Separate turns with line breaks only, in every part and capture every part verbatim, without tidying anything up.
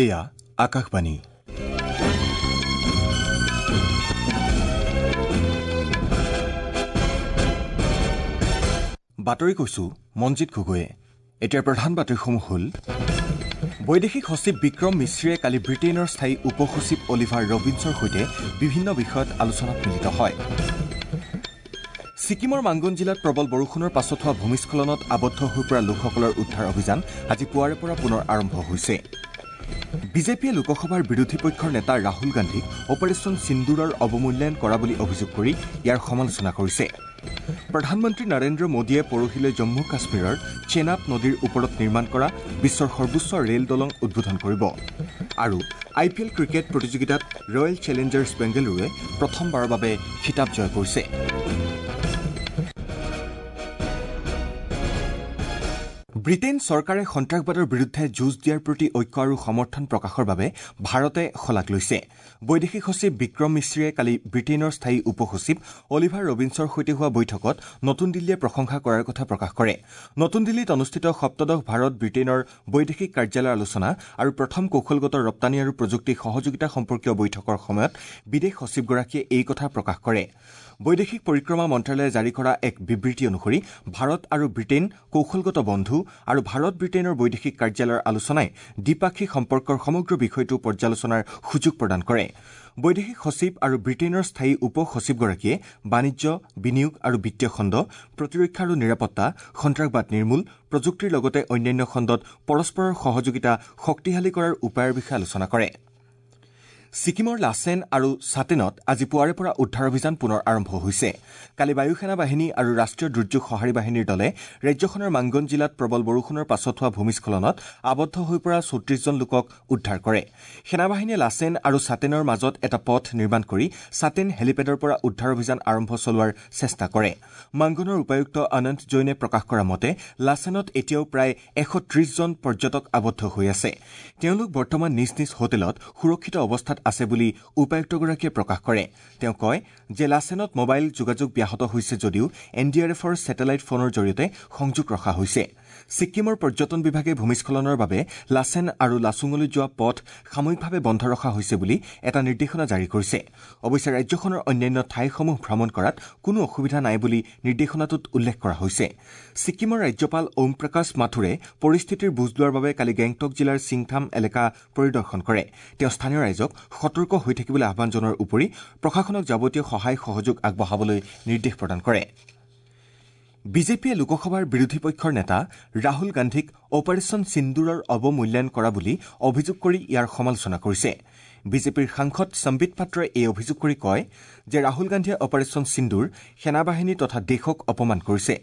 এয়া আকাশবাণী। বাতৰি কৈছো মঞ্জিত গগৈয়ে। এতিয়াৰ প্ৰধান বাতৰিসমূহ হ'ল: বৈদেশিক সচিব বিক্ৰম মিশ্ৰীয়ে কালি ব্ৰিটেইনৰ স্থায়ী উপ সচিব অলিভাৰ ৰবিন্সৰ সৈতে বিভিন্ন বিষয়ত আলোচনাত মিলিত হয়। ছিকিমৰ মাংগন জিলাত প্ৰবল বৰষুণৰ পাছত হোৱা ভূমিস্খলনত আবদ্ধ হৈ পৰা লোকসকলৰ উদ্ধাৰ অভিযান আজি পুৱাৰে পৰা পুনৰ আৰম্ভ হৈছে। বিজেপিয়ে লোকসভাৰ বিৰোধী পক্ষৰ নেতা ৰাহুল গান্ধীক অপাৰেশ্যন সিন্দুৰৰ অৱমূল্যায়ন কৰা বুলি অভিযোগ কৰি ইয়াৰ সমালোচনা কৰিছে। প্ৰধানমন্ত্ৰী নৰেন্দ্ৰ মোদীয়ে পৰহিলৈ জম্মু কাশ্মীৰৰ চেনাব নদীৰ ওপৰত নিৰ্মাণ কৰা বিশ্বৰ সৰ্বোচ্চ ৰেল দলং উদ্বোধন কৰিব। আৰু আই পি এল ক্ৰিকেট প্ৰতিযোগিতাত ৰয়েল চেলেঞ্জাৰ্ছ বেংগালুৰুৱে প্ৰথমবাৰৰ বাবে খিতাপ জয় কৰিছে। ব্ৰিটেইন চৰকাৰে সন্ত্ৰাসবাদৰ বিৰুদ্ধে যুঁজ দিয়াৰ প্ৰতি ঐক্য আৰু সমৰ্থন প্ৰকাশৰ বাবে ভাৰতে শলাগ লৈছে। বৈদেশিক সচিব বিক্ৰম মিশ্ৰীয়ে কালি ব্ৰিটেইনৰ স্থায়ী উপ সচিব অলিভাৰ ৰবিন্সৰ সৈতে হোৱা বৈঠকত নতুন দিল্লীয়ে প্ৰশংসা কৰাৰ কথা প্ৰকাশ কৰে। নতুন দিল্লীত অনুষ্ঠিত সপ্তদশ ভাৰত ব্ৰিটেইনৰ বৈদেশিক কাৰ্যালয়ৰ আলোচনা আৰু প্ৰথম কৌশলগত ৰপ্তানি আৰু প্ৰযুক্তি সহযোগিতা সম্পৰ্কীয় বৈঠকৰ সময়ত বিদেশ সচিবগৰাকীয়ে এই কথা প্ৰকাশ কৰে। বৈদেশিক পৰিক্ৰমা মন্ত্ৰালয়ে জাৰি কৰা এক বিবৃতি অনুসৰি ভাৰত আৰু ব্ৰিটেইন কৌশলগত বন্ধু আৰু ভাৰত ব্ৰিটেইনৰ বৈদেশিক কাৰ্যালয়ৰ আলোচনাই দ্বিপাক্ষিক সম্পৰ্কৰ সমগ্ৰ বিষয়টো পৰ্যালোচনাৰ সুযোগ প্ৰদান কৰে। বৈদেশিক সচিব আৰু ব্ৰিটেইনৰ স্থায়ী উপ সচিবগৰাকীয়ে বাণিজ্য, বিনিয়োগ আৰু বিত্তীয় খণ্ড, প্ৰতিৰক্ষা আৰু নিৰাপত্তা, সন্ত্ৰাসবাদ নিৰ্মূল, প্ৰযুক্তিৰ লগতে অন্যান্য খণ্ডত পৰস্পৰৰ সহযোগিতা শক্তিশালী কৰাৰ উপায়ৰ বিষয়ে আলোচনা কৰে। ছিকিমৰ লাচেন আৰু ছাটেনত আজি পুৱাৰে পৰা উদ্ধাৰ অভিযান পুনৰ আৰম্ভ হৈছে। কালি বায়ুসেনা বাহিনী আৰু ৰাষ্ট্ৰীয় দুৰ্যোগ সঁহাৰি বাহিনীৰ দলে ৰাজ্যখনৰ মাংগন জিলাত প্ৰবল বৰষুণৰ পাছত হোৱা ভূমিস্খলনত আবদ্ধ হৈ পৰা চৌত্ৰিশজন লোকক উদ্ধাৰ কৰে। সেনাবাহিনীয়ে লাচেন আৰু ছাটেনৰ মাজত এটা পথ নিৰ্মাণ কৰি ছাটেন হেলিপেডৰ পৰা উদ্ধাৰ অভিযান আৰম্ভ চলোৱাৰ চেষ্টা কৰে। মাংগনৰ উপায়ুক্ত অনন্ত জৈনে প্ৰকাশ কৰা মতে লাচেনত এতিয়াও প্ৰায় এশ ত্ৰিশজন পৰ্যটক আবদ্ধ হৈ আছে। তেওঁলোক বৰ্তমান নিজ নিজ হোটেলত সুৰক্ষিত অৱস্থাত আছে বুলি উপায়ুক্তগৰাকীয়ে প্ৰকাশ কৰে। তেওঁ কয় যে লাচেনত মোবাইল যোগাযোগ ব্যাহত হৈছে যদিও এন ডি আৰ এফৰ ছেটেলাইট ফোনৰ জৰিয়তে সংযোগ ৰখা হৈছে। ছিকিমৰ পৰ্যটন বিভাগে ভূমিস্খলনৰ বাবে লাচেন আৰু লাচুঙলৈ যোৱা পথ সাময়িকভাৱে বন্ধ ৰখা হৈছে বুলি এটা নিৰ্দেশনা জাৰি কৰিছে। অৱশ্যে ৰাজ্যখনৰ অন্যান্য ঠাইসমূহ ভ্ৰমণ কৰাত কোনো অসুবিধা নাই বুলি নিৰ্দেশনাটোত উল্লেখ কৰা হৈছে। ছিকিমৰ ৰাজ্যপাল ওম প্ৰকাশ মাথুৰে পৰিস্থিতিৰ বুজ লোৱাৰ বাবে কালি গেংটক জিলাৰ ছিংথাম এলেকা পৰিদৰ্শন কৰে। তেওঁ স্থানীয় ৰাইজক সতৰ্ক হৈ থাকিবলৈ আহ্বান জনোৱাৰ উপৰি প্ৰশাসনক যাৱতীয় সহায় সহযোগ আগবঢ়াবলৈ নিৰ্দেশ প্ৰদান কৰে। বিজেপিয়ে লোকসভাৰ বিৰোধী পক্ষৰ নেতা ৰাহুল গান্ধীক অপাৰেশ্যন সিন্দুৰৰ অৱমূল্যায়ন কৰা বুলি অভিযোগ কৰি ইয়াৰ সমালোচনা কৰিছে। বিজেপিৰ সাংসদ সম্বিত পাত্ৰই এই অভিযোগ কৰি কয় যে ৰাহুল গান্ধীয়ে অপাৰেশ্যন সিন্দুৰ, সেনাবাহিনী তথা দেশক অপমান কৰিছে।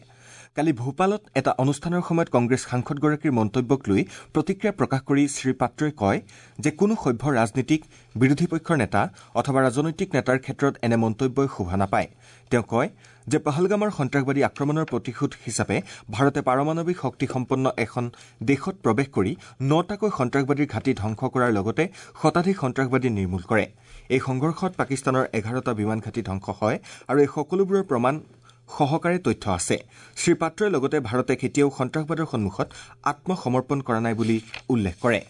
কালি ভূপালত এটা অনুষ্ঠানৰ সময়ত কংগ্ৰেছ সাংসদগৰাকীৰ মন্তব্যক লৈ প্ৰতিক্ৰিয়া প্ৰকাশ কৰি শ্ৰীপাত্ৰই কয় যে কোনো সভ্য ৰাজনীতিক, বিৰোধী পক্ষৰ নেতা অথবা ৰাজনৈতিক নেতাৰ ক্ষেত্ৰত এনে মন্তব্যই শোভা নাপায়। তেওঁ কয় যে পহলগামৰ সন্ত্ৰাসবাদী আক্ৰমণৰ প্ৰতিশোধ হিচাপে ভাৰতে পাৰমাণৱিক শক্তিসম্পন্ন এখন দেশত প্ৰৱেশ কৰি নটাকৈ সন্ত্ৰাসবাদীৰ ঘাটি ধ্বংস কৰাৰ লগতে শতাধিক সন্ত্ৰাসবাদী নিৰ্মূল কৰে। এই সংঘৰ্ষত পাকিস্তানৰ এঘাৰটা বিমান ঘাটি ধ্বংস হয় আৰু এই সকলোবোৰৰ প্ৰমাণ সহকাৰে তথ্য আছে। শ্ৰীপাত্ৰই লগতে ভাৰতে কেতিয়াও সন্ত্ৰাসবাদৰ সন্মুখত আত্মসমৰ্পণ কৰা নাই বুলি উল্লেখ কৰে।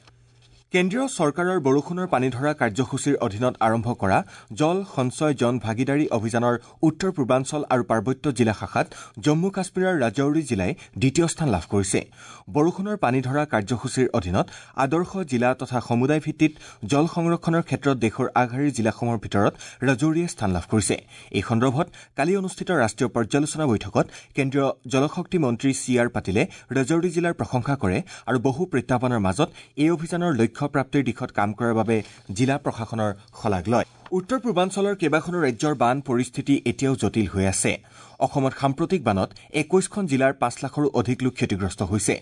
কেন্দ্ৰীয় চৰকাৰৰ বৰষুণৰ পানী ধৰা কাৰ্যসূচীৰ অধীনত আৰম্ভ কৰা জল সঞ্চয় জন ভাগীদাৰী অভিযানৰ উত্তৰ পূৰ্বাঞ্চল আৰু পাৰ্বত্য জিলা শাখাত জম্মু কাশ্মীৰৰ ৰাজৌৰি জিলাই দ্বিতীয় স্থান লাভ কৰিছে। বৰষুণৰ পানী ধৰা কাৰ্যসূচীৰ অধীনত আদৰ্শ জিলা তথা সমুদায় ভিত্তিত জল সংৰক্ষণৰ ক্ষেত্ৰত দেশৰ আগশাৰীৰ জিলাসমূহৰ ভিতৰত ৰাজৌৰিয়ে স্থান লাভ কৰিছে। এই সন্দৰ্ভত কালি অনুষ্ঠিত ৰাষ্ট্ৰীয় পৰ্যালোচনা বৈঠকত কেন্দ্ৰীয় জলশক্তি মন্ত্ৰী চি আৰ পাটিলে ৰাজৌৰি জিলাৰ প্ৰশংসা কৰে আৰু বহু প্ৰত্যাহ্বানৰ মাজত এই অভিযানৰ লক্ষ্য প্ৰাপ্তিৰ দিশত কাম কৰাৰ বাবে জিলা প্ৰশাসনৰ শলাগ লয়। উত্তৰ পূৰ্বাঞ্চলৰ কেইবাখনো ৰাজ্যৰ বান পৰিস্থিতি এতিয়াও জটিল হৈ আছে। অসমত সাম্প্ৰতিক বানত একৈশখন জিলাৰ পাঁচ লাখৰো অধিক লোক ক্ষতিগ্ৰস্ত হৈছে।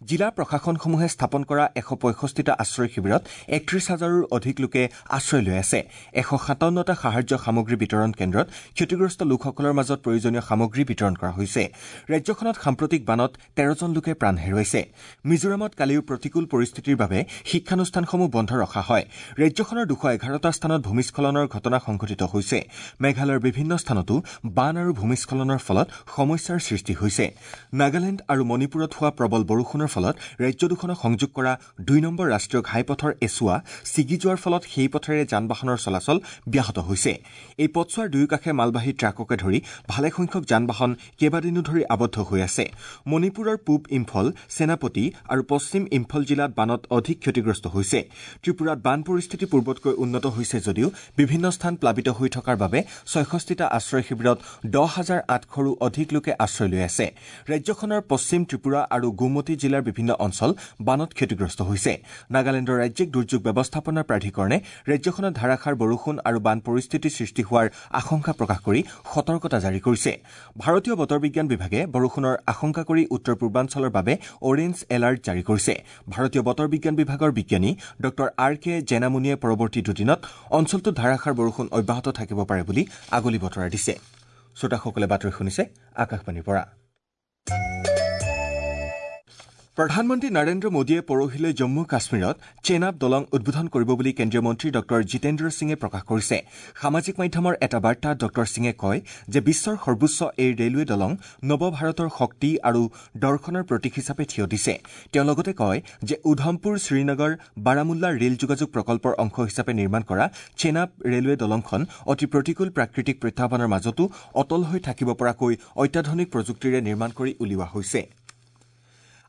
জিলা প্ৰশাসনসমূহে স্থাপন কৰা এশ পঁয়ষষ্ঠিটা আশ্ৰয় শিবিৰত একত্ৰিশ হাজাৰৰো অধিক লোকে আশ্ৰয় লৈ আছে। এশ সাতাৱন্নটা সাহায্য সামগ্ৰী বিতৰণ কেন্দ্ৰত ক্ষতিগ্ৰস্ত লোকসকলৰ মাজত প্ৰয়োজনীয় সামগ্ৰী বিতৰণ কৰা হৈছে। ৰাজ্যখনত সাম্প্ৰতিক বানত তেৰজন লোকে প্ৰাণ হেৰুৱাইছে। মিজোৰামত কালিও প্ৰতিকূল পৰিস্থিতিৰ বাবে শিক্ষানুষ্ঠানসমূহ বন্ধ ৰখা হয়। ৰাজ্যখনৰ দুশ এঘাৰটা স্থানত ভূমিস্খলনৰ ভূমিস্খলনৰ ঘটনা সংঘটিত হৈছে। মেঘালয়ৰ বিভিন্ন স্থানতো বান আৰু ভূমিস্খলনৰ ফলত সমস্যাৰ সৃষ্টি হৈছে। নাগালেণ্ড আৰু মণিপুৰত হোৱা প্ৰবল বৰষুণৰ ফলত ৰাজ্য দুখনক সংযোগ কৰা দুই নম্বৰ ৰাষ্ট্ৰীয় ঘাইপথৰ এচোৱা ছিগি যোৱাৰ ফলত সেই পথেৰে যান বাহনৰ চলাচল ব্যাহত হৈছে। এই পথছোৱাৰ দুয়োকাষে মালবাহী ট্ৰাককে ধৰি ভালেসংখ্যক যান বাহন কেইবাদিনো ধৰি আবদ্ধ হৈ আছে। মণিপুৰৰ পূব ইম্ফল, সেনাপতি আৰু পশ্চিম ইম্ফল জিলাত বানত অধিক ক্ষতিগ্ৰস্ত হৈছে। ত্ৰিপুৰাত বান পৰিস্থিতি পূৰ্বতকৈ উন্নত হৈছে যদিও বিভিন্ন স্থান প্লাবিত হৈ থকাৰ বাবে ছয়ষষ্ঠিটা আশ্ৰয় শিবিৰত দহ হাজাৰ আঠশৰো অধিক লোকে আশ্ৰয় লৈ আছে। ৰাজ্যখনৰ পশ্চিম ত্ৰিপুৰা আৰু গোমতী জিলাৰ বিভিন্ন অঞ্চল বানত ক্ষতিগ্ৰস্ত হৈছে। নাগালেণ্ডৰ ৰাজ্যিক দুৰ্যোগ ব্যৱস্থাপনা প্ৰাধিকৰণে ৰাজ্যখনত ধাৰাসাৰ বৰষুণ আৰু বান পৰিস্থিতি সৃষ্টি হোৱাৰ আশংকা প্ৰকাশ কৰি সতৰ্কতা জাৰি কৰিছে। ভাৰতীয় বতৰ বিজ্ঞান বিভাগে বৰষুণৰ আশংকা কৰি উত্তৰ পূৰ্বাঞ্চলৰ বাবে অৰেঞ্জ এলাৰ্ট জাৰি কৰিছে। ভাৰতীয় বতৰ বিজ্ঞান বিভাগৰ বিজ্ঞানী ডঃ আৰ কে জেনামুনিয়ে পৰৱৰ্তী দুদিনত অঞ্চলটোত ধাৰাসাৰ বৰষুণ অব্যাহত থাকিব পাৰে বুলি আগলি বতৰা দিছে। শ্ৰোতাসকলে বাতৰি শুনিছে আকাশবাণীৰ পৰা। প্ৰধানমন্ত্ৰী নৰেন্দ্ৰ মোদীয়ে পৰহিলৈ জম্মু কাশ্মীৰত চেনাব দলং উদ্বোধন কৰিব বুলি কেন্দ্ৰীয় মন্ত্ৰী ডঃ জিতেন্দ্ৰ সিঙে প্ৰকাশ কৰিছে। সামাজিক মাধ্যমৰ এটা বাৰ্তাত ডঃ সিঙে কয় যে বিশ্বৰ সৰ্বোচ্চ এই ৰেলৱে দলং নৱ ভাৰতৰ শক্তি আৰু দৰ্শনৰ প্ৰতীক হিচাপে থিয় দিছে। তেওঁ লগতে কয় যে উধমপুৰ শ্ৰীনগৰ বাৰামুল্লা ৰেল যোগাযোগ প্ৰকল্পৰ অংশ হিচাপে নিৰ্মাণ কৰা চেনাব ৰেলৱে দলংখন অতি প্ৰতিকূল প্ৰাকৃতিক প্ৰত্যাহ্বানৰ মাজতো অটল হৈ থাকিব পৰাকৈ অত্যাধুনিক প্ৰযুক্তিৰে নিৰ্মাণ কৰি উলিওৱা হৈছে।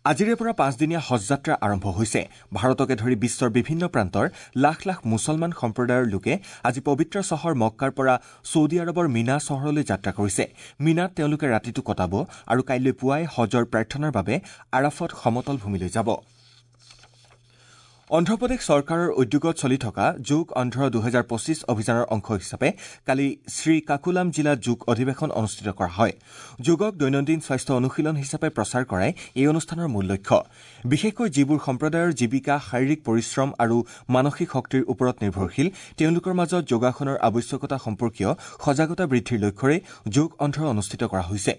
আজিৰে পৰা পাঁচদিনীয়া হজযাত্ৰা আৰম্ভ হৈছে। ভাৰতকে ধৰি বিশ্বৰ বিভিন্ন প্ৰান্তৰ লাখ লাখ মুছলমান সম্প্ৰদায়ৰ লোকে আজি পবিত্ৰ চহৰ মক্কাৰ পৰা ছৌদি আৰৱৰ মিনা চহৰলৈ যাত্ৰা কৰিছে। মিনাত তেওঁলোকে ৰাতিটো কটাব আৰু কাইলৈ পুৱাই হজৰ প্ৰাৰ্থনাৰ বাবে আৰাফত সমতল ভূমিলৈ যাব। অন্ধ্ৰপ্ৰদেশ চৰকাৰৰ উদ্যোগত চলি থকা যোগ অন্ধ্ৰ দুহেজাৰ পঁচিছ অভিযানৰ অংশ হিচাপে কালি শ্ৰীকাকুলাম জিলাত যোগ অধিৱেশন অনুষ্ঠিত কৰা হয়। যোগক দৈনন্দিন স্বাস্থ্য অনুশীলন হিচাপে প্ৰচাৰ কৰাই এই অনুষ্ঠানৰ মূল লক্ষ্য। বিশেষকৈ যিবোৰ সম্প্ৰদায়ৰ জীৱিকা শাৰীৰিক পৰিশ্ৰম আৰু মানসিক শক্তিৰ ওপৰত নিৰ্ভৰশীল তেওঁলোকৰ মাজত যোগাসনৰ আৱশ্যকতা সম্পৰ্কীয় সজাগতা বৃদ্ধিৰ লক্ষ্যৰে যোগ অন্ধ্ৰ অনুষ্ঠিত কৰা হৈছে।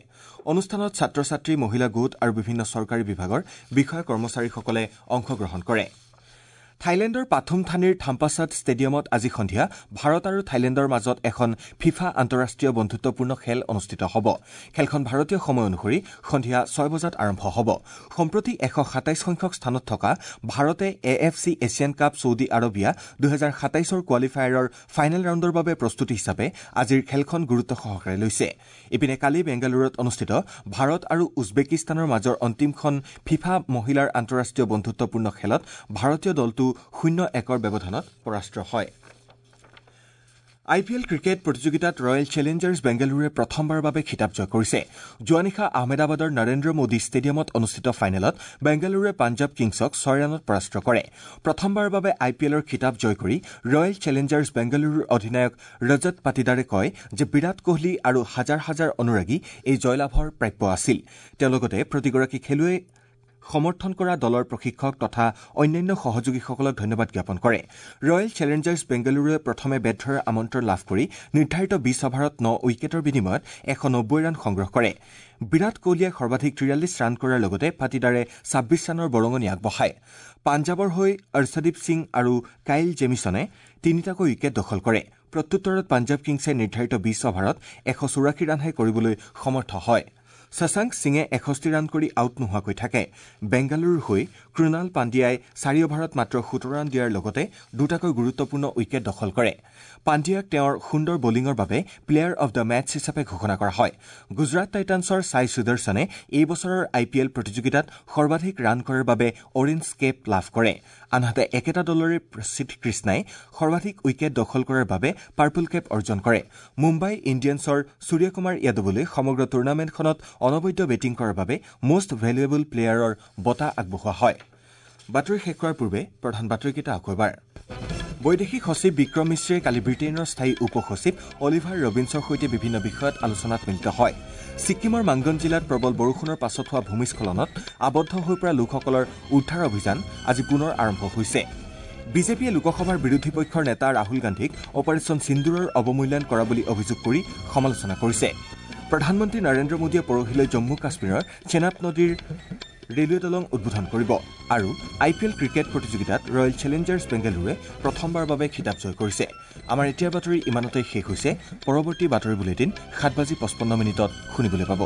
অনুষ্ঠানত ছাত্ৰ ছাত্ৰী, মহিলা গোট আৰু বিভিন্ন চৰকাৰী বিভাগৰ বিষয়া কৰ্মচাৰীসকলে অংশগ্ৰহণ কৰে। থাইলেণ্ডৰ পাথুম থানিৰ থাম্পাছাত ষ্টেডিয়ামত আজি সন্ধিয়া ভাৰত আৰু থাইলেণ্ডৰ মাজত এখন ফিফা আন্তঃৰাষ্ট্ৰীয় বন্ধুত্বপূৰ্ণ খেল অনুষ্ঠিত হ'ব। খেলখন ভাৰতীয় সময় অনুসৰি সন্ধিয়া ছয় বজাত আৰম্ভ হ'ব। সম্প্ৰতি এশ সাতাইছ সংখ্যক স্থানত থকা ভাৰতে A F C Asian cup Saudi Arabia দুহেজাৰ সাতাইছৰ কোৱালিফায়াৰৰ ফাইনেল ৰাউণ্ডৰ বাবে প্ৰস্তুতি হিচাপে আজিৰ খেলখন গুৰুত্ব সহকাৰে লৈছে। ইপিনে কালি বেংগালুৰুত অনুষ্ঠিত ভাৰত আৰু উজবেকিস্তানৰ মাজৰ অন্তিমখন ফিফা মহিলাৰ আন্তঃৰাষ্ট্ৰীয় বন্ধুত্বপূৰ্ণ খেলত ভাৰতীয় দলটো শূন্য একৰ ব্যৱধানত পৰাস্ত হয়। আই পি এল ক্ৰিকেট প্ৰতিযোগিতাত ৰয়েল চেলেঞ্জাৰ্ছ বেংগালুৰুৱে প্ৰথমবাৰৰ বাবে খিতাপ জয় কৰিছে। যোৱা নিশা আহমেদাবাদৰ নৰেন্দ্ৰ মোদী ষ্টেডিয়ামত অনুষ্ঠিত ফাইনেলত বেংগালুৰুৱে পাঞ্জাৱ কিংছক ছয় ৰানত পৰাস্ত কৰে। প্ৰথমবাৰৰ বাবে আই পি এলৰ খিতাপ জয় কৰি ৰয়েল চেলেঞ্জাৰ্ছ বেংগালুৰুৰ অধিনায়ক ৰজত পাটিদাৰে কয় যে বিৰাট কোহলি আৰু হাজাৰ হাজাৰ অনুৰাগী এই জয়লাভৰ প্ৰাপ্য আছিল। তেওঁ লগতে প্ৰতিগৰাকী খেলুৱৈ সমৰ্থন কৰা দলৰ প্ৰশিক্ষক তথা অন্যান্য সহযোগীসকলক ধন্যবাদ জ্ঞাপন কৰে। ৰয়েল চেলেঞ্জাৰ্ছ বেংগালুৰুৱে প্ৰথমে বেট ধৰাৰ আমন্ত্ৰণ লাভ কৰি নিৰ্ধাৰিত বিছ অভাৰত ন উইকেটৰ বিনিময়ত এশ নব্বৈ ৰান সংগ্ৰহ কৰে। বিৰাট কোহলিয়ে সৰ্বাধিক তিৰাল্লিছ ৰান কৰাৰ লগতে পাটিদাৰে ছাব্বিছ ৰানৰ বৰঙণি আগবঢ়ায়। পাঞ্জাৱৰ হৈ অৰ্শদীপ সিং আৰু কাইল জেমিছনে তিনিটাকৈ উইকেট দখল কৰে। প্ৰত্যুত্তৰত পাঞ্জাৱ কিংছে নিৰ্ধাৰিত বিছ অভাৰত এশ চৌৰাশী ৰানহে কৰিবলৈ সমৰ্থ হয়। শশাংক সিঙে এষষ্ঠি ৰান কৰি আউট নোহোৱাকৈ থাকে। বেংগালুৰুৰ হৈ কৃণাল পাণ্ডিয়াই চাৰি অভাৰত মাত্ৰ সোতৰ ৰান দিয়াৰ লগতে দুটাকৈ গুৰুত্বপূৰ্ণ উইকেট দখল কৰে। পাণ্ডিয়াক তেওঁৰ সুন্দৰ বলিঙৰ বাবে প্লেয়াৰ অব the match হিচাপে ঘোষণা কৰা হয়। গুজৰাট টাইটানছৰ ছাই সুদৰ্শনে এই বছৰৰ আই পি এল প্ৰতিযোগিতাত সৰ্বাধিক ৰান কৰাৰ বাবে অৰেঞ্জ কেপ লাভ কৰে। আনহাতে একেটা দলৰে প্ৰসিদ্ধ কৃষ্ণাই সৰ্বাধিক উইকেট দখল কৰাৰ বাবে পাৰ্পল কেপ অৰ্জন কৰে। মুম্বাই ইণ্ডিয়ানছৰ সূৰ্যকুমাৰ যাদৱলৈ সমগ্ৰ টুৰ্ণামেণ্টখনত অনবদ্য বেটিং কৰাৰ বাবে মোষ্ট ভেলুৱেবল প্লেয়াৰৰ বঁটা আগবঢ়োৱা হয়। বাতৰি শেষ কৰাৰ পূৰ্বে প্ৰধান বাতৰিকেইটা আকৌ এবাৰ। বৈদেশিক সচিব বিক্ৰম মিশ্ৰীয়ে কালি ব্ৰিটেইনৰ স্থায়ী উপ সচিব অলিভাৰ ৰবিন্সৰ সৈতে বিভিন্ন বিষয়ত আলোচনাত মিলিত হয়। ছিক্কিমৰ মাংগন জিলাত প্ৰবল বৰষুণৰ পাছত হোৱা ভূমিস্খলনত আবদ্ধ হৈ পৰা লোকসকলৰ উদ্ধাৰ অভিযান আজি পুনৰ আৰম্ভ হৈছে। বিজেপিয়ে লোকসভাৰ বিৰোধী পক্ষৰ নেতা ৰাহুল গান্ধীক অপাৰেচন সিন্দুৰৰ অৱমূল্যায়ন কৰা বুলি অভিযোগ কৰি সমালোচনা কৰিছে। প্ৰধানমন্ত্ৰী নৰেন্দ্ৰ মোদীয়ে পৰহিলৈ জম্মু কাশ্মীৰৰ চেনাব নদীৰ ৰেলৱে দলং উদ্বোধন কৰিব। আৰু আই পি এল ক্ৰিকেট প্ৰতিযোগিতাত ৰয়েল চেলেঞ্জাৰ্ছ বেংগালুৰুৱে প্ৰথমবাৰৰ বাবে খিতাপ জয় কৰিছে। আমাৰ এতিয়াৰ বাতৰি ইমানতে শেষ হৈছে। পৰৱৰ্তী বাতৰি বুলেটিন সাত বাজি পঁচপন্ন মিনিটত শুনিবলৈ পাব।